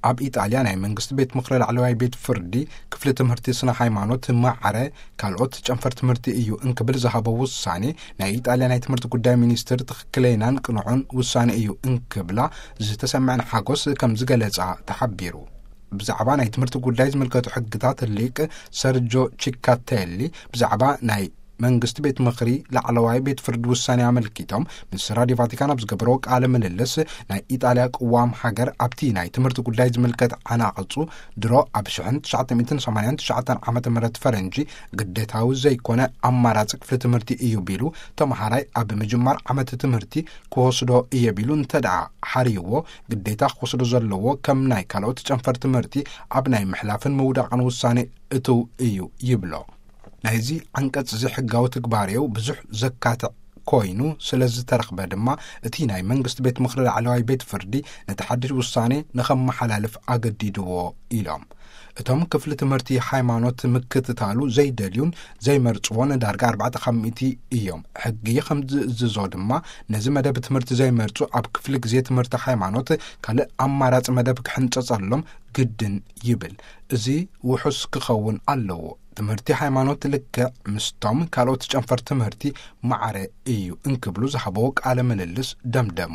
ኣብ ኢጣልያ ናይ መንግስቲ ቤት ምኽሪ ላዕለዋይ ቤት ፍርዲ ክፍሊ ትምህርቲ ስነ ሃይማኖት ማዕረ ካልኦት ጨንፈር ትምህርቲ እዩ እንክብል ዝሃቦ ውሳኔ፣ ናይ ኢጣልያ ናይ ትምህርቲ ጉዳይ ሚኒስትር ትኽክለይናን ቅኑዑን ውሳኔ እዩ እንክብላ ዝተሰምዐን ሓጎስ ከም ዝገለጻ ተሓቢሩ። ብዛዕባ ናይ ትምህርቲ ጉዳይ ዝምልከቱ ሕግታት ሊቅ ሰርጆ ቺካቴሊ ብዛዕባ ናይ መንግስቲ ቤት ምኽሪ ላዕለዋይ ቤት ፍርዲ ውሳኔ ኣመልኪቶም ምስ ራዲዮ ቫቲካን ኣብ ዝገበረዎ ቃለ ምልልስ፣ ናይ ኢጣልያ ቅዋም ሃገር ኣብቲ ናይ ትምህርቲ ጉዳይ ዝምልከት ዓናቕጹ ድሮ ኣብ ሽሕን ትሽዓተ ሚእትን ሰማንያን ትሽዓተን ዓመተ ምህረት ፈረንጂ ግዴታዊ ዘይኮነ ኣማራጺ ክፍሊ ትምህርቲ እዩ ቢሉ፣ ተመሃራይ ኣብ ምጅማር ዓመት ትምህርቲ ክወስዶ እየ ቢሉ እንተ ደኣ ሓርይዎ፣ ግዴታ ክወስዶ ዘለዎ ከም ናይ ካልኦት ጨንፈር ትምህርቲ ኣብ ናይ ምሕላፍን ምውዳቕን ውሳኔ እትው እዩ ይብሎ። ናይዚ ዓንቀጽ እዚ ሕጋዊ ትግባሬው ብዙሕ ዘካትዕ ኮይኑ ስለ ዝተረኽበ ድማ፣ እቲ ናይ መንግስቲ ቤት ምኽሪ ላዕለዋይ ቤት ፍርዲ ነቲ ሓድሽ ውሳኔ ንኸመሓላልፍ ኣገዲድዎ ኢሎም። እቶም ክፍሊ ትምህርቲ ሃይማኖት ምክትታሉ ዘይደልዩን ዘይመርጽዎን ዳርጋ ኣርባዕተ ካብ ሚእቲ እዮም። ሕጊ ከም ዝእዝዞ ድማ፣ ነዚ መደብ ትምህርቲ ዘይመርጹ ኣብ ክፍሊ ግዜ ትምህርቲ ሃይማኖት ካልእ ኣማራጺ መደብ ክሕንጸጸሎም ግድን ይብል። እዚ ውሑስ ክኸውን ኣለዎ። ትምህርቲ ሃይማኖት ልክዕ ምስቶም ካልኦት ጨንፈር ትምህርቲ ማዕረ እዩ እንክብሉ ዝሃበዎ ቃለ ምልልስ ደምደሙ።